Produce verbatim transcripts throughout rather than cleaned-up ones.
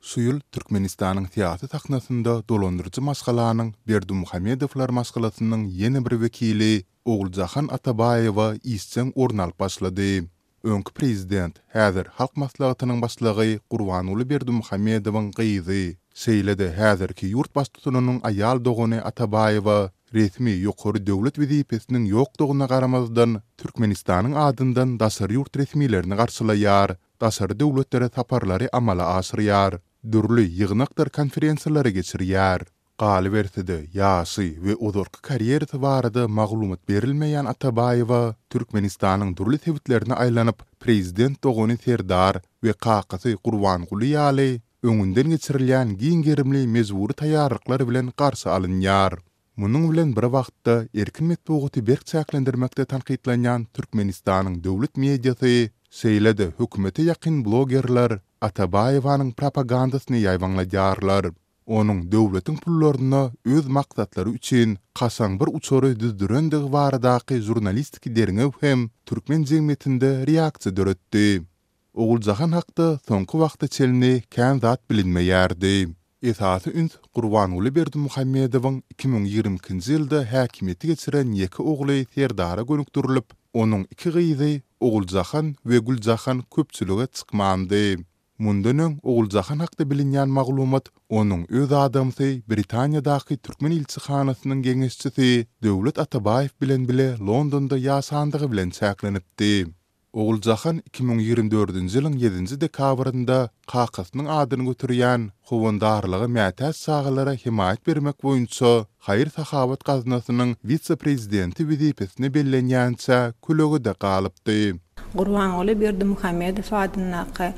Şu ýyl Türkmenistanyň syýasy sahnasynda dolandyryjy maşgalanyň Berdimuhamedowlar maşgalasynyň ýene bir wekili Oguljahan Atabaýewa işjeň orun alyp başlady. Öňki prezident, häzir Halk Maslahatynyň başlygy Gurbanguly Berdimuhamedowyň gyzy, şeýle-de häzirki ýurt baştutanynyň aýal dogany Atabaýewa resmi ýokary döwlet wezipesiniň ýokdugyna garamazdan, Türkmenistanyň adyndan daşary ýurt resmilerini garşylaýar, daşary döwletlere saparlary amala aşyrýar, dürli ýygnakdyr konferensiýalary geçirýär. Galyberse-de, ýaşy we ozalky karýerasy barada maglumat berilmeýän Atabaýewa Türkmenistanyň dürli sebitlerine aýlanyp, prezident dogany Serdar we kakasy Gurbanguly ýaly öňünden geçirilýän giň gerimli mejbury taýýarlyklar bilen garşy alynýar. Munuň bilen bir wagtda, erkin metbugaty berk çäklendirmekde tankytlanýan Türkmenistanyň döwlet mediasy, şeýle-de hökümete ýakyn blogerler Atabaýewanyň propagandasyny ýaýbaňladýarlar. Onuň döwletiň pullaryna öz maksatlary üçin kaşaň bir uçary düzdürendigi baradaky žurnalistiki derňew hem türkmen jemgyýetinde reaksiýa döretdi. Oguljahan hakda soňky wagta çenli kän zat bilinmeýärdi. Esasy üns Gurbanguly Berdimuhamedowyň iki müň ýigrimi ikinji ýylda häkimiýete geçiren ýeke ogly Serdara gönükdirilip, onuň iki gyzy Oguljahan we Güljahan köpçülige çykmandy. Mundan öň Oguljahan hakda bilinýän maglumat onuň öz adamsy Britaniýadaky türkmen ilçihanasynyň geňeşçisi Döwlet Atabaýew bilen bile Londonda ýaşandygy bilen çäklenipdi. Oguljahan iki müň ýigrimi dördünji ýylyň ýedinji dekabrynda kakasynyň adyny göterýän howandarlyga mätäç çagalara hemaýat bermek boýunça haýyr-sahawat gaznasynyň wise-prezidenti wezipesine bellenýänçä kölegede galypdy. Gurbanguly Berdimuhamedow adyndaky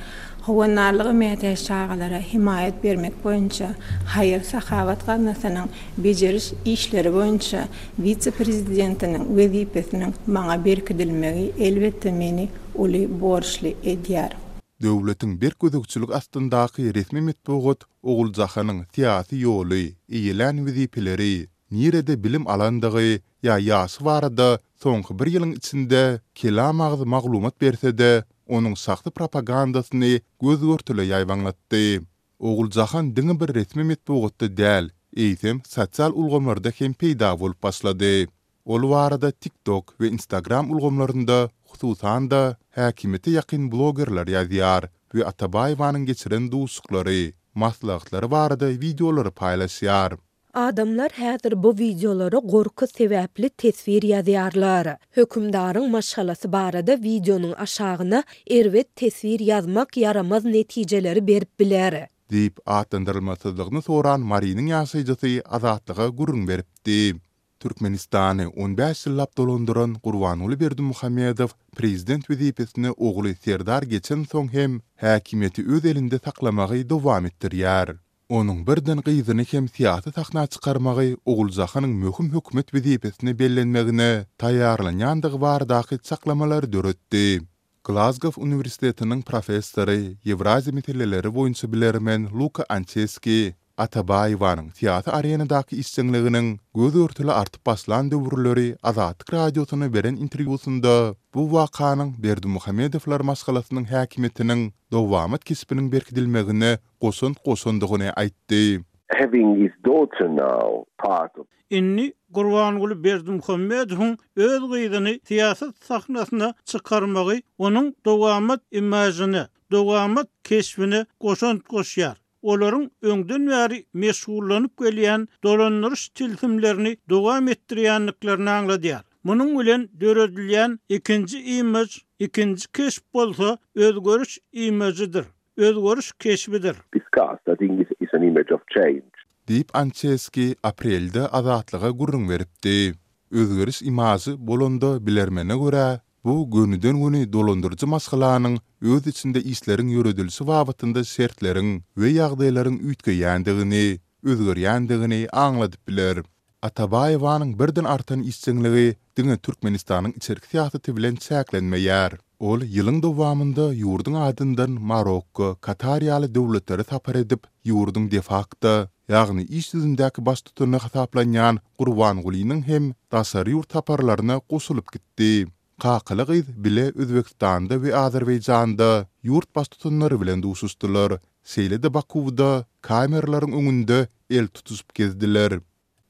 howandarlyga mätäç çagalara hemaýat bermek boýunça haýyr-sahawat gaznasynyň bejeriş işleri boýunça wise-prezidentiniň wezipesiniň maňa berkidilmegi elbetde meni uly borçly edýär. Döwletiň berk gözegçilik astyndaky resmi metbugat Oguljahanyň syýasy ýoly, eýelän wezipeleri, nirede bilim alandygy ýa ýaşy barada soňky bir ýylyň içinde kelam agyz maglumat berse-de, onuň şahsy propagandasyny göz-görtele ýaýbaňlatdy. Oguljahan diňe bir resmi metbugatda däl, eýsem sosial ulgamlarda hem peýda bolup başlady. Ol barada TikTok we Instagram ulgamlarynda, hususan-da, häkimiýete ýakyn blogerler ýazýar we Atabaýewanyň geçiren duşuşyklary, maslahatlary barada wideolary paýlaşýar. Adamlar häzir bu wideolara gorky sebäpli teswir ýazýarlar. Hökümdaryň maşgalasy barada wideonyň aşagyna erbet teswir ýazmak ýaramaz netijeleri berip biler. Diýip, atlandyrylmasyzlygyny soran Marynyň ýaşaýjysy Azatlyga gürrüň beripdi. Türkmenistany on bäş ýyllap dolandyran Gurbanguly Berdimuhamedow prezident wezipesine ogly Serdar geçensoň hem häkimiýeti öz elinde saklamagy dowam etdirýär. Onuň birden gyzyny hem syýasy sahna çykarmagy Oguljahanyň möhüm hökümet wezipesine bellenmegine taýýarlanýandygy baradaky çaklamalary döretdi. Glazgow uniwersitetiniň professory, Ýewraziýa meseleleri boýunça bilermen Luka Ançeski Atabaýewanyň syýasy arenadaky işjeňliginiň göz-görtele artyp başlan döwürleri Azatlyk Radiosyna beren interwýusynda bu wakanyň Berdimuhamedowlar maşgalasynyň häkimiýetiniň dowamat keşbiniň berkidilmegine goşant goşandygyny aýtdy. Having his daughter now part of. Indi Gurbanguly Berdimuhamedowyň öz gyzyny syýasat sahnasyna çykarmagy onuň dowamat imažyna, dowamat keşbine goşant goşýar. Olaryň öňden bäri meşgullanyp gelýän dolandyryş tilsimlerini dowam etdirýändiklerini aňladýar. Munuň bilen döredilýän ikinji imaž, ikinji keşp bolsa özgeriş imažydyr, özgeriş keşbidir. Discussed, I think it's an image of change. Diýip, Ançeski aprelde Azatlyga gürrüň beripdi. Özgeriş imažy bolanda bilermene görä, bu gönüden-göni dolandyryjy maşgalanyň öz içinde işleriň ýöredilişi babatynda şertleriň we ýagdaýlaryň üýtgeýändigini, özgerýändigini aňladyp biler. Atabaýewanyň birden artan işjeňligi diňe Türkmenistanyň içerki syýasaty bilen çäklenmeýär. Ol ýylyň dowamynda ýurduň adyndan Marokko, Katar ýaly döwletlere sapar edip, ýurduň de-fakto, ýagny iş ýüzündäki baştutany hasaplanýan Gurbangulynyň hem daşary ýurt saparlaryna goşulyp gitdi. Kakaly gyz bile Özbegistanda we Azerbaýjanda ýurt baştutanlary bilen duşuşdylar. şeýle-de Bakuwda kameralaryň öňünde el tutuşyp gezdiler.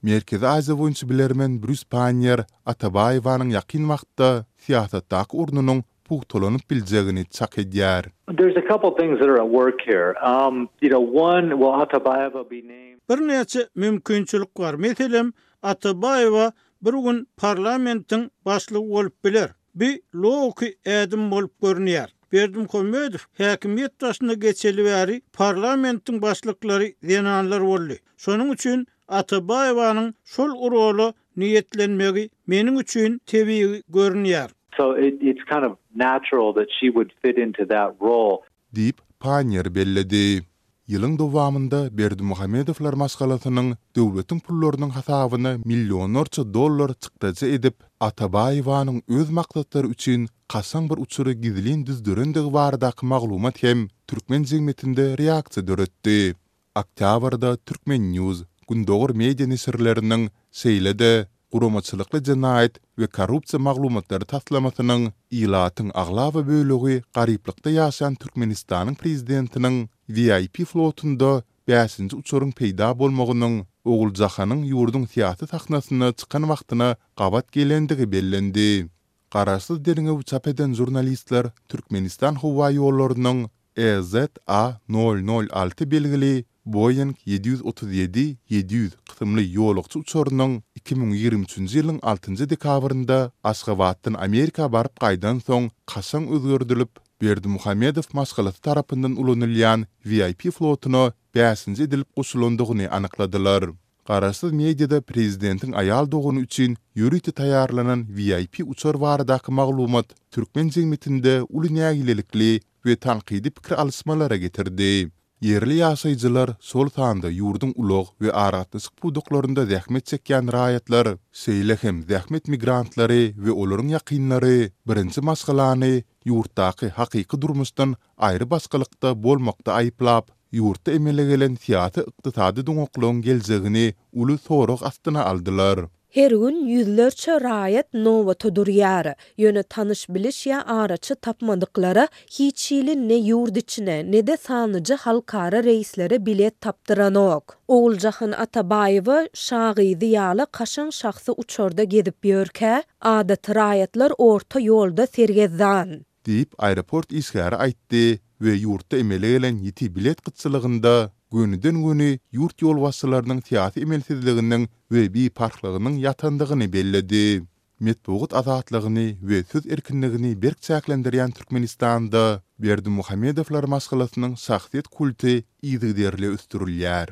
Merkezi Aziýa boýunça bilermen Brýus Panniýer Atabaýewanyň ýakyn wagtda syýasatdaky ornunyň pugtalanyp biljegini çak edýär. There's a couple things that are at work here. Um, you know, one, will Atabayewa be named? Birnäçe mümkinçilik bar. Meselem, Atabaýewa bir gün parlamentiň başlygy bolup biler. Bu logiki ädim bolup görünýär. Berdimuhamedow häkimiýet başyna geçeli bäri parlamentiň başlyklary zenanlar boldy. Şonuň üçin Atabaýewanyň şol rola niýetlenmegi meniň üçin tebigy görünýär. So it, it's kind of natural that she would fit into that role. Diýip, Panniýer belledi. Ýylyň dowamynda Berdimuhamedowlar maşgalasynyň döwletiň pullarynyň hasabyna millionlarça dollar çykdajy edip, Atabaýewanyň öz maksatlary üçin kaşaň bir uçary gizlin düzdürendigi baradaky maglumat hem türkmen jemgyýetinde reaksiýa döretdi. Oktýabrda Turkmen News, Gündogar media neşirleriniň şeýle-de guramaçylykly jenaýat we korrupsiýa maglumatlary taslamasynyň ilatyň aglaba bölegi garyplykda ýaşaýan Türkmenistanyň prezidentiniň VIP flotunda bäşinji uçaryň peýda bolmagynyň Oguljahanyň ýurduň syýasy sahnasyna çykan wagtyna gabat gelendigi bellendi. Garaşsyz derňewi çap eden žurnalistler Türkmenistan howa ýollarynyň EZA nol nol alty belgili Boeing ýedi ýüz otuz ýedi ýedi ýüz kysymly ýolagçy uçarynyň iki müň ýigrimi üçünji ýylyň altynjy dekabrynda Aşgabatdan Amerika baryp gaýdan soň kaşaň özgerdilip, Berdimuhamedow maşgalasy tarapyndan ulanylýan VIP flotuna bäşinji edilip goşulandygyny anykladylar. Garaşsyz mediada prezidentiň aýal dogany üçin ýörite taýýarlanan VIP uçar baradaky maglumat türkmen jemgyýetinde uly nägilelikli we tankydy pikir alyşmalara getirdi. Ýerli ýaşaýjylar, şol sanda ýurduň ulag we aragatnaşyk pudaklarynda zähmet çekýän raýatlar, şeýle hem zähmet migrantlary we olaryň ýakynlary birinji maşgalany ýurtdaky hakyky durmuşdan aýry başgalykda bolmakda aýyplap, ýurtda emele gelen syýasy-ykdysady doňaklygyň geljegini uly sorag astyna aldylar. Her gün ýüzlerçe raýat nobata durýar. Ýöne tanyş biliş ýa araçy tapmadyklara hiç hili ne ýurt içine, ne-de sanlyja halkara reýslere bilet tapdyranok. Oguljahan Atabaýewa şa gyzy ýaly kaşaň şahsy uçarda gezip ýörkä, adaty raýatlar orta ýolda sergezdan. Diýip, aeroport işgäri aýtdy we ýurtda emele gelen ýiti bilet gytçylygynda gönüden-göni ýurt ýolbaşçylarynyň syýasy emelsizliginiň we biparhlygynyň ýatandygyny belledi. Metbugat azatlygyny we söz erkinligini berk çäklendirýän Türkmenistanda Berdimuhamedowlar maşgalasynyň şahsyýet kulty yzygiderli ösdürilýär.